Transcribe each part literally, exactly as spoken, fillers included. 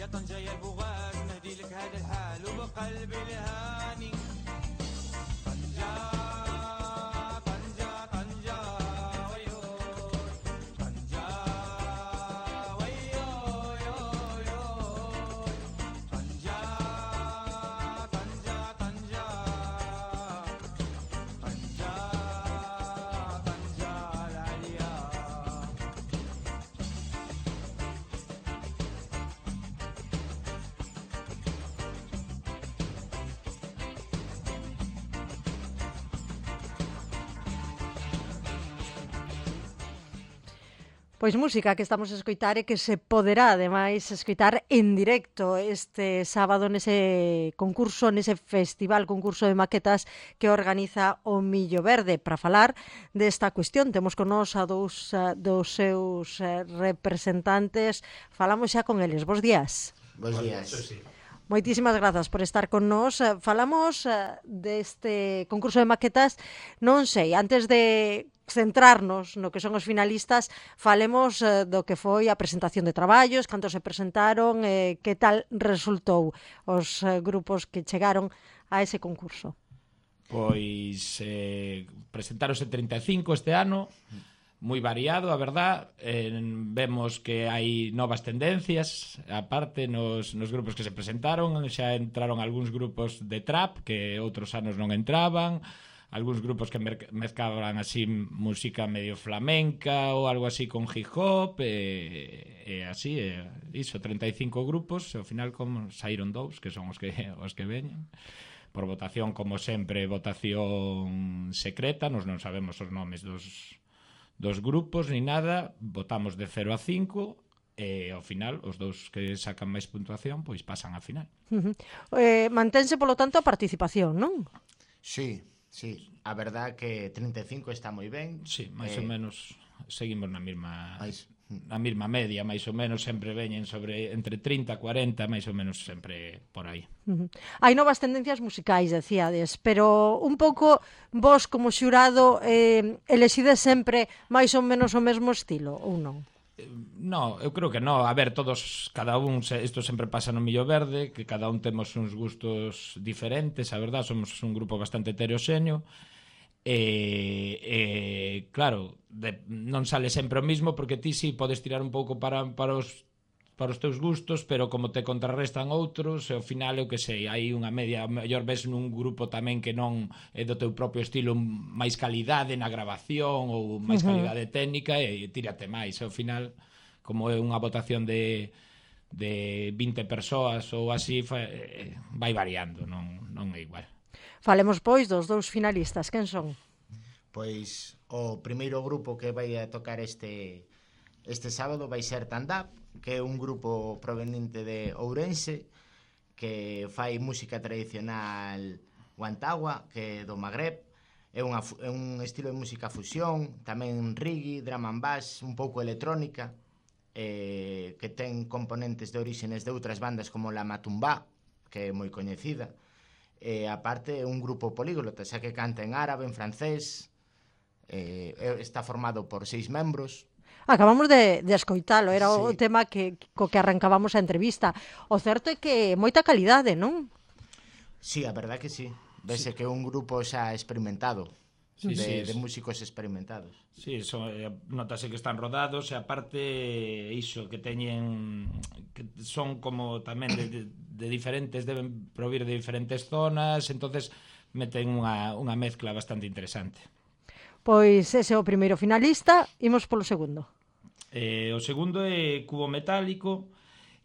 يا طنجة يا البغاز نهدي لك هذا الحال وبقلبي لهاني طنجة طنجة طنجة ويو طنجة ويو يو يو طنجة طنجة طنجة طنجة طنجة العليا Pois música que estamos a escoitar e que se poderá ademais escoitar en directo este sábado nese concurso, nese festival concurso de maquetas que organiza o Millo Verde. Para falar desta cuestión temos con nós a dous a, dos seus eh, representantes. Falamos xa con eles. Bos días. Bos días. Moitísimas grazas por estar con nós. Eh, Falamos eh, deste concurso de maquetas. Non sei, antes de centrarnos no que son os finalistas, falemos eh, do que foi a presentación de traballos, cantos se presentaron, eh, que tal resultou os eh, grupos que chegaron a ese concurso. Pois eh, presentáronse trinta e cinco este ano, moi variado, a verdad. Eh, vemos que hai novas tendencias, aparte nos, nos grupos que se presentaron, xa entraron algúns grupos de trap que outros anos non entraban, algúns grupos que mezclaban así música medio flamenca ou algo así con hip hop e, e así, e, iso, trinta e cinco grupos e ao final como saíron dous que son os que, os que veñen por votación, como sempre, votación secreta, nos non sabemos os nomes dos, dos grupos ni nada, votamos de cero a cinco e ao final os dous que sacan máis puntuación pois pasan á final. Uh -huh. eh, mantense polo tanto a participación, non? Sí, sí, a verdad que trinta e cinco está moi ben. Sí, máis eh, ou menos seguimos na mesma máis, na mesma media, máis ou menos sempre veñen sobre entre trinta e cuarenta, máis ou menos sempre por aí. Uh -huh. Hai novas tendencias musicais, decíades, pero un pouco vos como xurado eh, elexides sempre máis ou menos o mesmo estilo, ou non? No, eu creo que no. A ver, todos, cada un, isto sempre pasa no Millo Verde, que cada un temos uns gustos diferentes, a verdad, somos un grupo bastante heteroxéneo, e, e claro, de, non sale sempre o mismo, porque ti si podes tirar un pouco para, para os para os teus gustos, pero como te contrarrestan outros, e ao final, eu que sei, hai unha media, mellor ves nun grupo tamén que non é do teu propio estilo, máis calidade na grabación ou máis calidade técnica, e tírate máis, e ao final, como é unha votación de, de vinte persoas ou así, vai variando, non, non é igual. Falemos, pois, dos dous finalistas, quen son? Pois o primeiro grupo que vai a tocar este este sábado vai ser Tandap, que é un grupo proveniente de Ourense que fai música tradicional guantagua, que é do Magreb. É, unha, é un estilo de música fusión, tamén reggae, drum and bass, un pouco electrónica, eh, que ten componentes de orígenes de outras bandas como la Matumbá, que é moi coñecida. E aparte é un grupo políglota, xa que canta en árabe, en francés, eh, está formado por seis membros. Acabamos de, de escoitalo, era o sí. tema que, co que arrancábamos a entrevista. O certo é que moita calidade, non? Sí, a verdad que sí. Vese sí. que é un grupo xa experimentado, sí, de, sí, de músicos experimentados. Sí, so, eh, notase que están rodados e aparte iso, que teñen que son como tamén de, de, de diferentes, deben provir de diferentes zonas, entonces meten unha, unha mezcla bastante interesante. Pois ese é o primeiro finalista, imos polo segundo. Eh, o segundo é Cubo Metálico,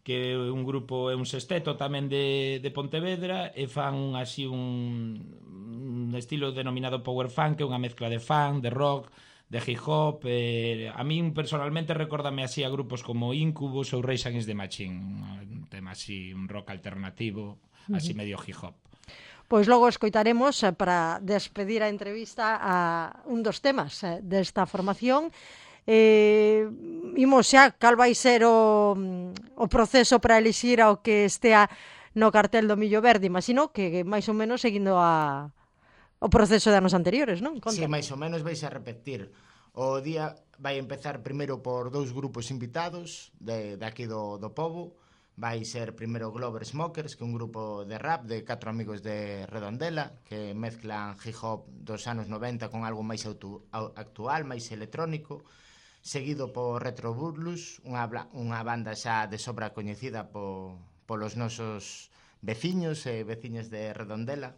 que é un grupo, é un sexteto tamén de, de Pontevedra, e fan así un, un estilo denominado power funk, que é unha mezcla de funk, de rock, de hip hop. Eh, a min personalmente recórdame así a grupos como Incubus ou Rage Against the Machine, un tema así, un rock alternativo, así uh-huh. medio hip hop. Pois logo escoitaremos eh, para despedir a entrevista a un dos temas eh, desta formación. Eh, imos xa, cal vai ser o, o proceso para elixir ao que estea no cartel do Millo Verde? Imagino que máis ou menos seguindo a, o proceso de anos anteriores, non? Conta. Sí, máis ou menos vais a repetir. O día vai empezar primeiro por dous grupos invitados de, de aquí do, do pobo. vai ser primeiro Glover Smokers, que é un grupo de rap de catro amigos de Redondela que mezclan hip hop dos anos noventa con algo máis auto, actual, máis electrónico, seguido por Retro Burlus, unha, unha banda xa de sobra coñecida po, polos nosos veciños e veciñas de Redondela.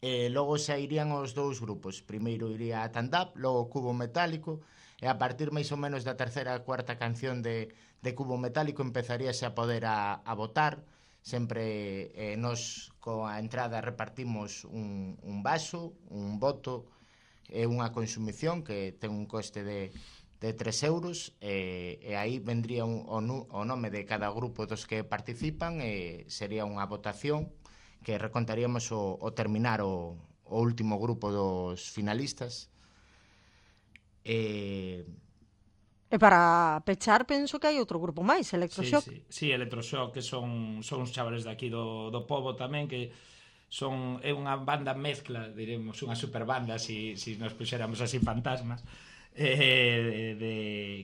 E logo xa irían os dous grupos, primeiro iría a Tandap, logo Cubo Metálico, e a partir máis ou menos da terceira e cuarta canción de, de Cubo Metálico empezaríase a poder a, a votar. Sempre eh, nos coa entrada repartimos un, un vaso, un voto e unha consumición que ten un coste de, de tres euros e, e aí vendría un, o, o nome de cada grupo dos que participan e sería unha votación que recontaríamos o, o terminar o, o último grupo dos finalistas. E... E para pechar, penso que hai outro grupo máis, Electroshock. Sí, sí, sí, Electroshock, que son, son uns chavales de aquí do, do pobo tamén, que son é unha banda mezcla, diremos, unha superbanda, si, si nos puxéramos así fantasmas, eh, de,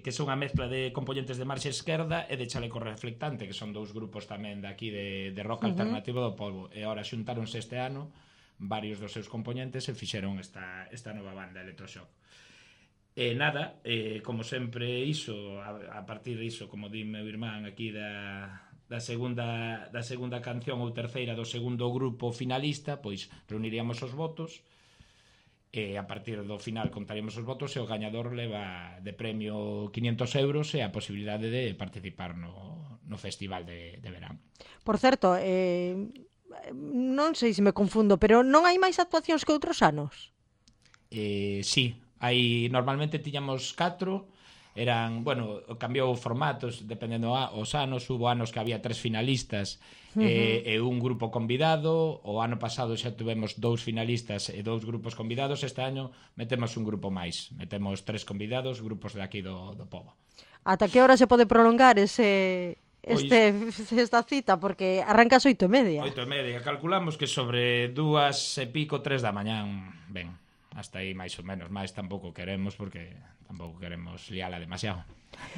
que son unha mezcla de componentes de marxa esquerda e de chaleco reflectante, que son dous grupos tamén de aquí de, de rock uh -huh. alternativo do pobo. E agora xuntáronse este ano varios dos seus componentes e fixeron esta, esta nova banda, Electroshock. E nada, eh, como sempre iso, a, a partir diso, como di meu irmán aquí da, da, segunda, da segunda canción ou terceira do segundo grupo finalista, pois reuniríamos os votos e a partir do final contaríamos os votos e o gañador leva de premio quinientos euros e a posibilidade de participar no, no festival de, de verán. Por certo, eh, non sei se me confundo, pero non hai máis actuacións que outros anos? Eh, sí, hai normalmente tiñamos catro, eran, bueno, cambiou formatos dependendo a, os anos, hubo anos que había tres finalistas uh -huh. e, e un grupo convidado, o ano pasado xa tuvemos dous finalistas e dous grupos convidados, este año metemos un grupo máis, metemos tres convidados, grupos de aquí do, do pobo. Ata que hora se pode prolongar ese... Este, pois, esta cita, porque arranca ás oito e media. Oito e media, calculamos que sobre dúas e pico, tres da mañán, ben. Hasta aí máis ou menos, máis tampouco queremos porque tampouco queremos liala demasiado.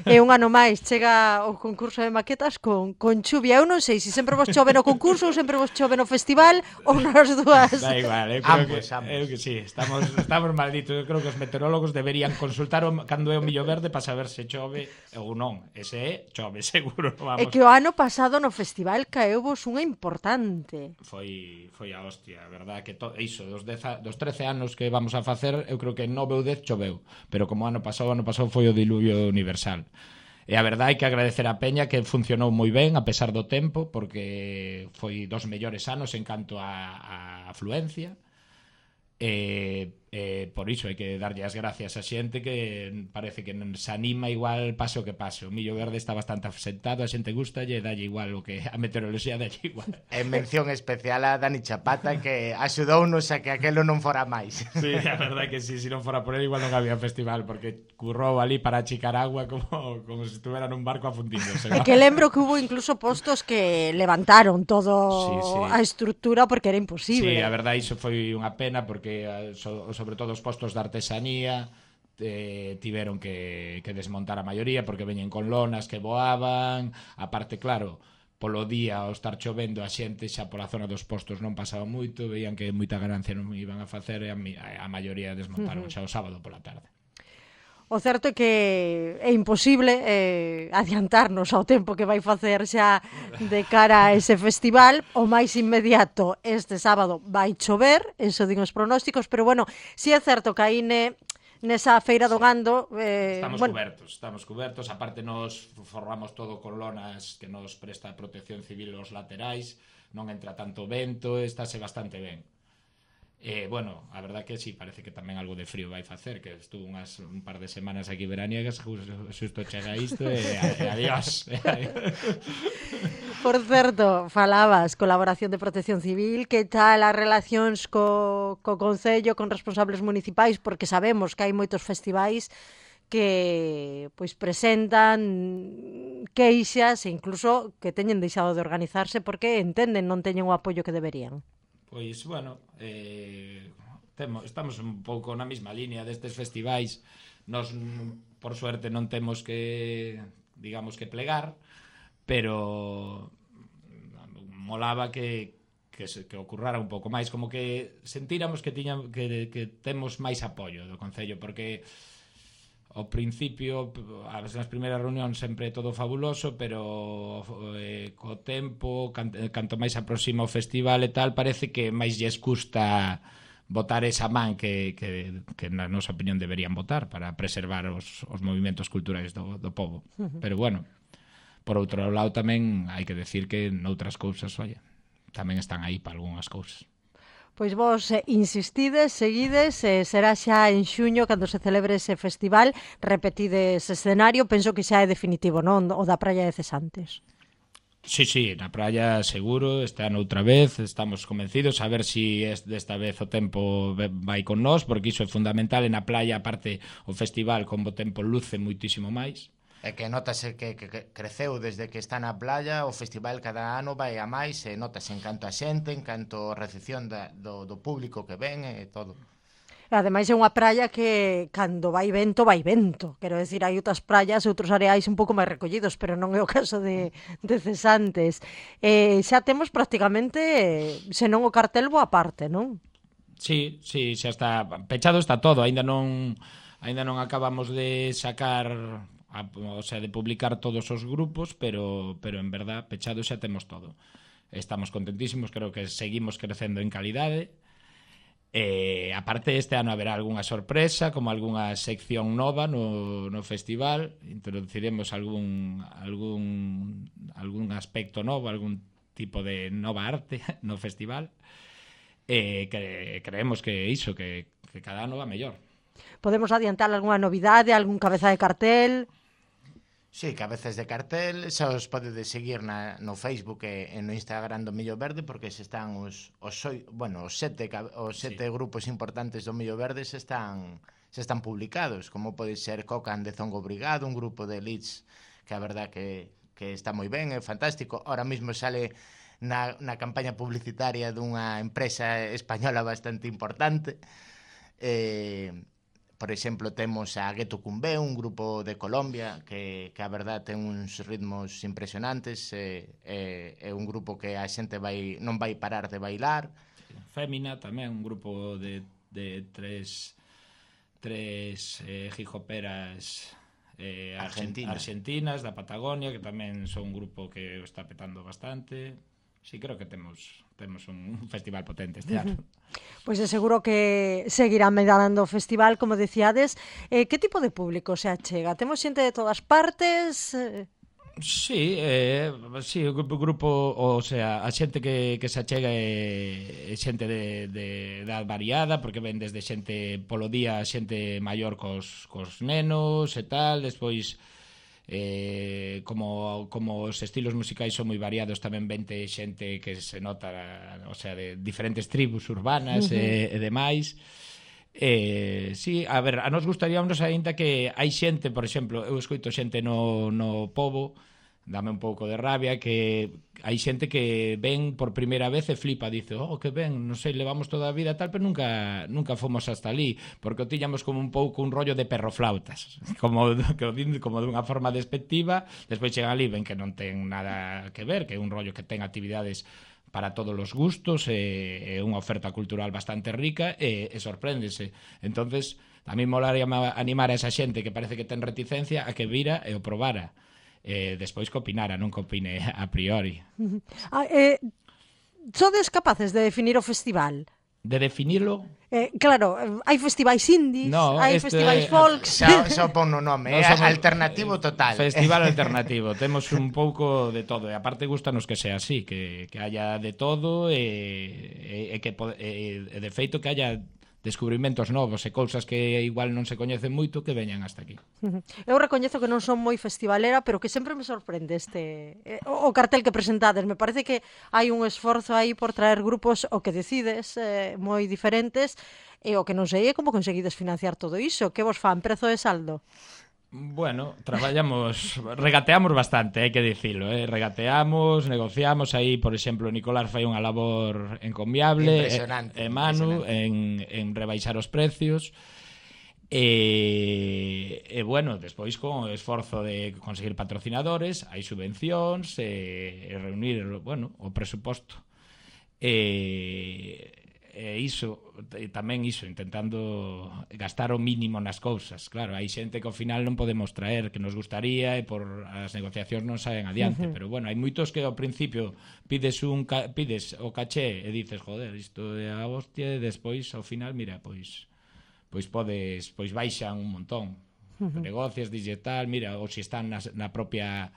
E un ano máis chega o concurso de maquetas con, con chuvia. Eu non sei se sempre vos chove no concurso ou sempre vos chove no festival ou nas dúas. Da igual, eu creo ambos, que, ambos. Eu que sí, estamos, estamos malditos. Eu creo que os meteorólogos deberían consultar o, cando é o millo verde para saber se chove ou non. Ese é, chove seguro, vamos. É que o ano pasado no festival caeu vos unha importante. Foi, foi a hostia, a verdad, que to, iso, dos, dez, dos trece anos que vamos a facer, eu creo que nove ou dez choveu, pero como ano pasado, ano pasado foi o diluvio universal. E a verdade hai que agradecer a Peña que funcionou moi ben a pesar do tempo, porque foi dos mellores anos en canto a, a afluencia. E, e por iso hai que darlle as gracias a xente que parece que non se anima igual pase o que pase. O millo verde está bastante asentado, a xente gusta e dalle igual o que a meteoroloxía dalle igual. En mención especial a Dani Chapata que axudounos a que aquelo non fora máis. Sí, a verdade que sí, se non fora por ele igual non había festival, porque currou ali para achicar agua como, como se estuvera nun barco afundíndose, ¿no? É que lembro que hubo incluso postos que levantaron todo sí, sí. a estrutura porque era imposible. Sí, a verdade iso foi unha pena porque so, sobre todo os postos de artesanía eh, tiveron que, que desmontar a maioría porque veñen con lonas que voaban, aparte claro polo día ao estar chovendo a xente xa pola zona dos postos non pasaba moito, veían que moita ganancia non iban a facer e a, a maioría desmontaron uh -huh. xa o sábado pola tarde. O certo é que é imposible eh, adiantarnos ao tempo que vai facer xa de cara a ese festival. O máis inmediato este sábado vai chover, eso din os pronósticos, pero bueno, si é certo que aí ne, nesa feira do gando eh, estamos bueno, cubertos, estamos cubertos, aparte nos formamos todo con lonas que nos presta a protección civil os laterais, non entra tanto vento, estáse bastante ben. Eh, bueno, a verdad que sí, parece que tamén algo de frío vai facer, que estuvo unhas, un par de semanas aquí veraniegas, xusto chega isto e, e adiós. Por certo, falabas colaboración de Protección Civil, que tal as relacións co, co Concello, con responsables municipais, porque sabemos que hai moitos festivais que pois presentan queixas e incluso que teñen deixado de organizarse porque entenden non teñen o apoio que deberían. Pois, bueno, eh, temos, estamos un pouco na mesma línea destes festivais. Nos, por suerte, non temos que, digamos, que plegar, pero molaba que que, se, que ocurrara un pouco máis, como que sentíramos que tiña que, que temos máis apoio do Concello, porque ao principio, as nas primeiras reunións sempre todo fabuloso, pero eh, co tempo, canto, canto máis aproxima o festival e tal, parece que máis lles custa botar esa man que, que, que na nosa opinión deberían botar para preservar os, os movimentos culturais do, do povo. Uh-huh. Pero bueno, por outro lado tamén hai que decir que noutras cousas, oye, tamén están aí para algunhas cousas. Pois vos eh, insistides, seguides, eh, será xa en xuño cando se celebre ese festival, repetides escenario, penso que xa é definitivo, non? O da Praia de Cesantes. Sí, sí, na praia seguro, este ano outra vez, estamos convencidos a ver si es desta vez o tempo vai con nós, porque iso é fundamental, e na playa, aparte, o festival con bo tempo luce muitísimo máis. É que notase que, que, que creceu desde que está na playa, o festival cada ano vai a máis, e notase en canto a xente, en canto a recepción da, do, do público que ven e todo. Ademais é unha praia que cando vai vento, vai vento. Quero decir, hai outras praias, outros areais un pouco máis recollidos, pero non é o caso de, de Cesantes. Eh, xa temos prácticamente, senón o cartel boa parte, non? Sí, sí, xa está pechado, está todo, aínda non aínda non acabamos de sacar... A, o sea, de publicar todos os grupos, pero pero en verdad pechado xa temos todo. Estamos contentísimos, creo que seguimos crecendo en calidade. Eh, aparte este ano haberá algunha sorpresa, como algunha sección nova no, no festival, introduciremos algún algún algún aspecto novo, algún tipo de nova arte no festival. Eh, que creemos que iso que, que cada ano va mellor. Podemos adiantar algunha novidade, algún cabeza de cartel? Sí, cabezas de cartel, xa os podedes seguir na, no Facebook e, e no Instagram do Millo Verde, porque se están os, os, soi, bueno, os sete, os sete sí. grupos importantes do Millo Verde se están, se están publicados, como pode ser Cocan de Zongo Brigado, un grupo de Leeds que a verdad que, que está moi ben, é fantástico. Ahora mismo sale na, na campaña publicitaria dunha empresa española bastante importante. Eh... Por exemplo, temos a Gueto Cumbé, un grupo de Colombia que, que a verdad ten uns ritmos impresionantes, é, é, é un grupo que a xente vai, non vai parar de bailar. Fémina tamén, un grupo de, de tres, tres eh, hijoperas eh, Argentina. argentinas da Patagonia, que tamén son un grupo que o está petando bastante. Sí, creo que temos temos un festival potente este ano. Pois é seguro que seguirá medalando o festival, como decíades. Eh, que tipo de público se achega? Temos xente de todas partes? Sí, eh, sí, o grupo, o sea, a xente que, que se achega é, é xente de, de edad variada, porque ven desde xente polo día, xente maior cos, cos nenos e tal, despois... Eh, como, como os estilos musicais son moi variados, tamén vente xente que se nota, o sea, de diferentes tribus urbanas uh-huh. e, e demais. Eh, sí, a ver, a nos gustaríamos aínda que hai xente, por exemplo, eu escoito xente no, no pobo, dame un pouco de rabia, que hai xente que ven por primeira vez e flipa, dice, oh, que ben, non sei, levamos toda a vida tal, pero nunca nunca fomos hasta ali, porque o tiñamos como un pouco un rollo de perroflautas, como, como dunha forma despectiva, despois chegan ali, ven que non ten nada que ver, que é un rollo que ten actividades para todos os gustos, e, e unha oferta cultural bastante rica, e, e sorpréndese. Entonces, tamén molaría animar a esa xente que parece que ten reticencia a que vira e o probara. Eh, despois que opinara, non que opine a priori. Ah, eh, sodes capaces de definir o festival? De definirlo? Eh, claro, hai festivais indies, no, hai este, festivais folks... Xa, xa pon no nome, no, é alternativo total. Festival alternativo, temos un pouco de todo, e aparte gustanos que sea así, que, que haya de todo, e, e, e que e, e de feito que haya descubrimentos novos e cousas que igual non se coñecen moito que veñan hasta aquí. Eu recoñezo que non son moi festivalera, pero que sempre me sorprende este eh, o cartel que presentades. Me parece que hai un esforzo aí por traer grupos o que decides eh, moi diferentes, e o que non sei é como conseguides financiar todo iso. Que vos fan, prezo de saldo? Bueno, traballamos, regateamos bastante, hai que dicilo, eh? regateamos, negociamos, aí, por exemplo, Nicolás fai unha labor encomiable, e, e Manu, en, en rebaixar os precios, E, e bueno, despois con o esforzo de conseguir patrocinadores, hai subvencións, e, e reunir, bueno, o presuposto. E, e iso, e tamén iso, intentando gastar o mínimo nas cousas. Claro, hai xente que ao final non podemos traer, que nos gustaría, e por as negociacións non saen adiante, uh-huh. pero bueno, hai moitos que ao principio pides un ca- pides o caché e dices, joder, isto é a hostia, e despois ao final, mira, pois pois podes, pois baixan un montón. Uh-huh. Negocios, digital, mira, ou se están na, na propia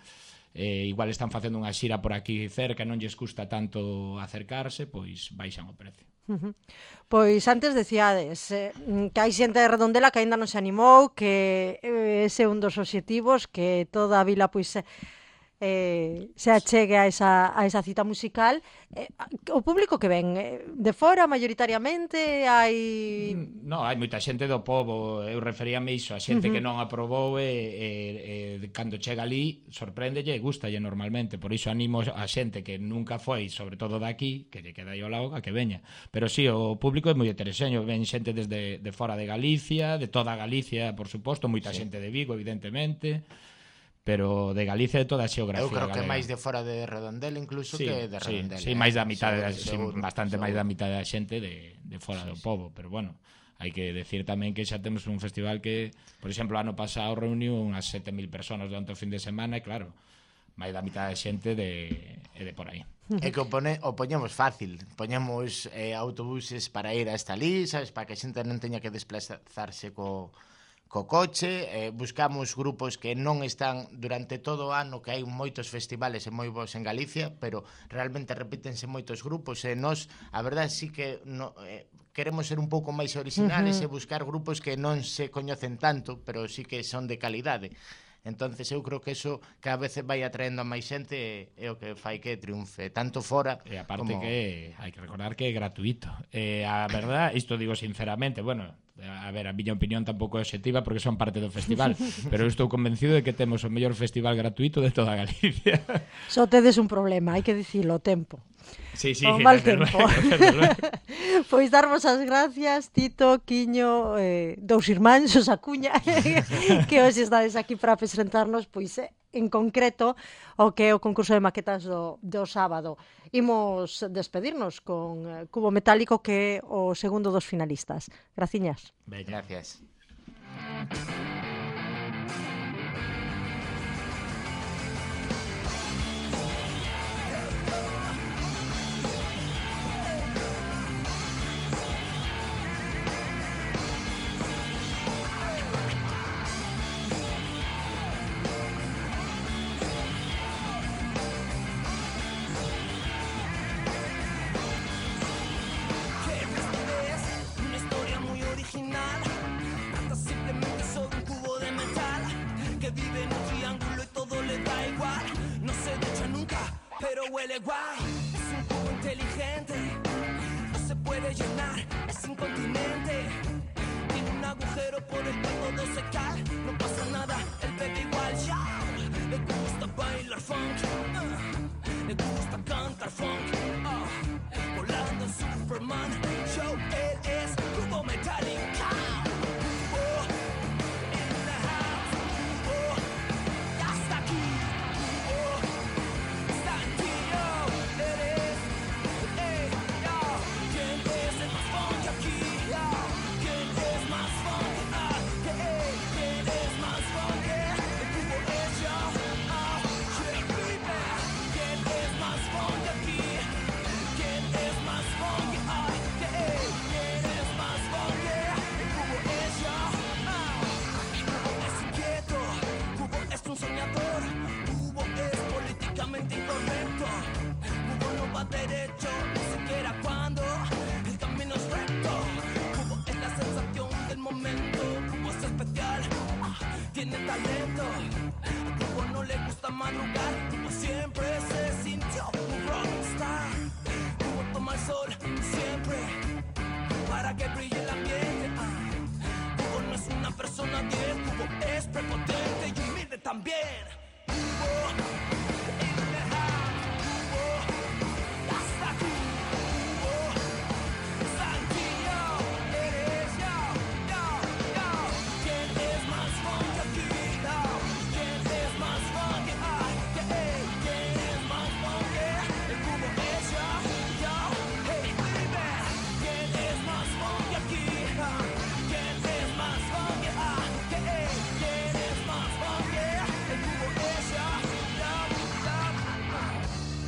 eh, igual están facendo unha xira por aquí cerca, non lles custa tanto acercarse, pois baixan o precio. Uh-huh. Pois antes decíades eh, que hai xente de Redondela que aínda non se animou, que eh, ese é un dos obxectivos, que toda a vila pois eh, se achegue a esa, a esa cita musical. Eh, o público que ven eh, de fora maioritariamente hai... No, hai moita xente do pobo. Eu referíame iso, a xente uh-huh. que non aprobou e, e, e cando chega ali sorpréndelle e gustalle normalmente. Por iso animo a xente que nunca foi, sobre todo daqui, que lle queda aí ao lado, a que veña. Pero sí, o público é moi heterexeño. Ven xente desde de fora de Galicia, de toda Galicia, por suposto, moita sí. xente de Vigo, evidentemente, pero de Galicia, de toda a xeografía. Eu creo que galega. máis de fora de Redondela incluso sí, que de Redondela. Sí, sí, máis da mitad, sí, sí, seguro, bastante seguro. máis da mitad da xente de, de fora sí, do pobo, pero bueno, hai que decir tamén que xa temos un festival que, por exemplo, ano pasado reuniu unhas sete mil personas durante o fin de semana e claro, máis da mitad da xente de, de por aí. É que o, pone, o poñemos fácil, poñemos eh, autobuses para ir hasta ali, sabes, para que a xente non teña que desplazarse co co coche, eh, buscamos grupos que non están durante todo o ano, que hai moitos festivales e moi bons en Galicia, pero realmente repítense moitos grupos, e nós, a verdade, sí que no, eh, queremos ser un pouco máis originales uh-huh. e buscar grupos que non se coñecen tanto, pero sí que son de calidade. Entonces eu creo que eso cada vez vai atraendo a máis xente e é o que fai que triunfe, tanto fora e aparte como... que hai que recordar que é gratuito. E a verdad, isto digo sinceramente, bueno, a ver, a miña opinión tampouco é obxectiva porque son parte do festival, pero eu estou convencido de que temos o mellor festival gratuito de toda Galicia. Só tedes un problema, hai que dicilo, o tempo. Sí, sí, o mal tempo. Luego, pois darvos as gracias, Tito, Quiño, eh, dous irmáns, os Acuña, que hoxe estades aquí para presentarnos, pois eh, en concreto o que é o concurso de maquetas do, do sábado. Imos despedirnos con eh, Cubo Metálico, que é o segundo dos finalistas. Graciñas. Bella. Gracias. Huele guay, es un cubo inteligente, no se puede llenar, es incontinente. Tiene un agujero por el que todo se cae, no pasa nada, él bebe igual ya. Le gusta bailar funk, uh, le gusta cantar funk, uh, volando en Superman. Show, él es Cubo Metálico.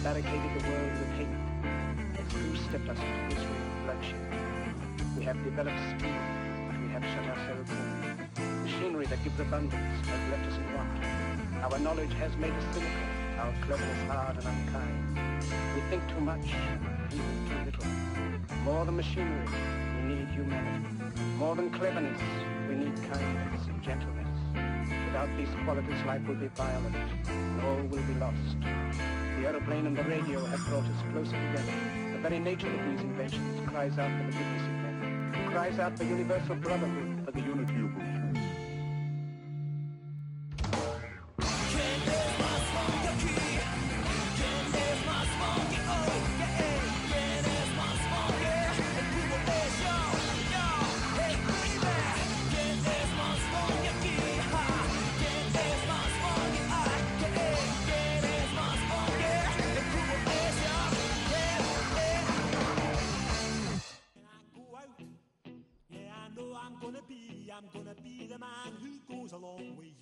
barricaded the world with hate. As few stepped us into this ring of bloodshed. We have developed speed, but we have shut ourselves in. Machinery that gives abundance has left us in want. Our knowledge has made us cynical, our cleverness hard and unkind. We think too much, feel too little. More than machinery, we need humanity. More than cleverness, we need kindness and gentleness. Without these qualities, life will be violent, and all will be lost. The aeroplane and the radio have brought us closer together. The very nature of these inventions cries out for the goodness of men, cries out for universal brotherhood, for the unity of the I'm gonna be, I'm gonna be the man who goes along with you.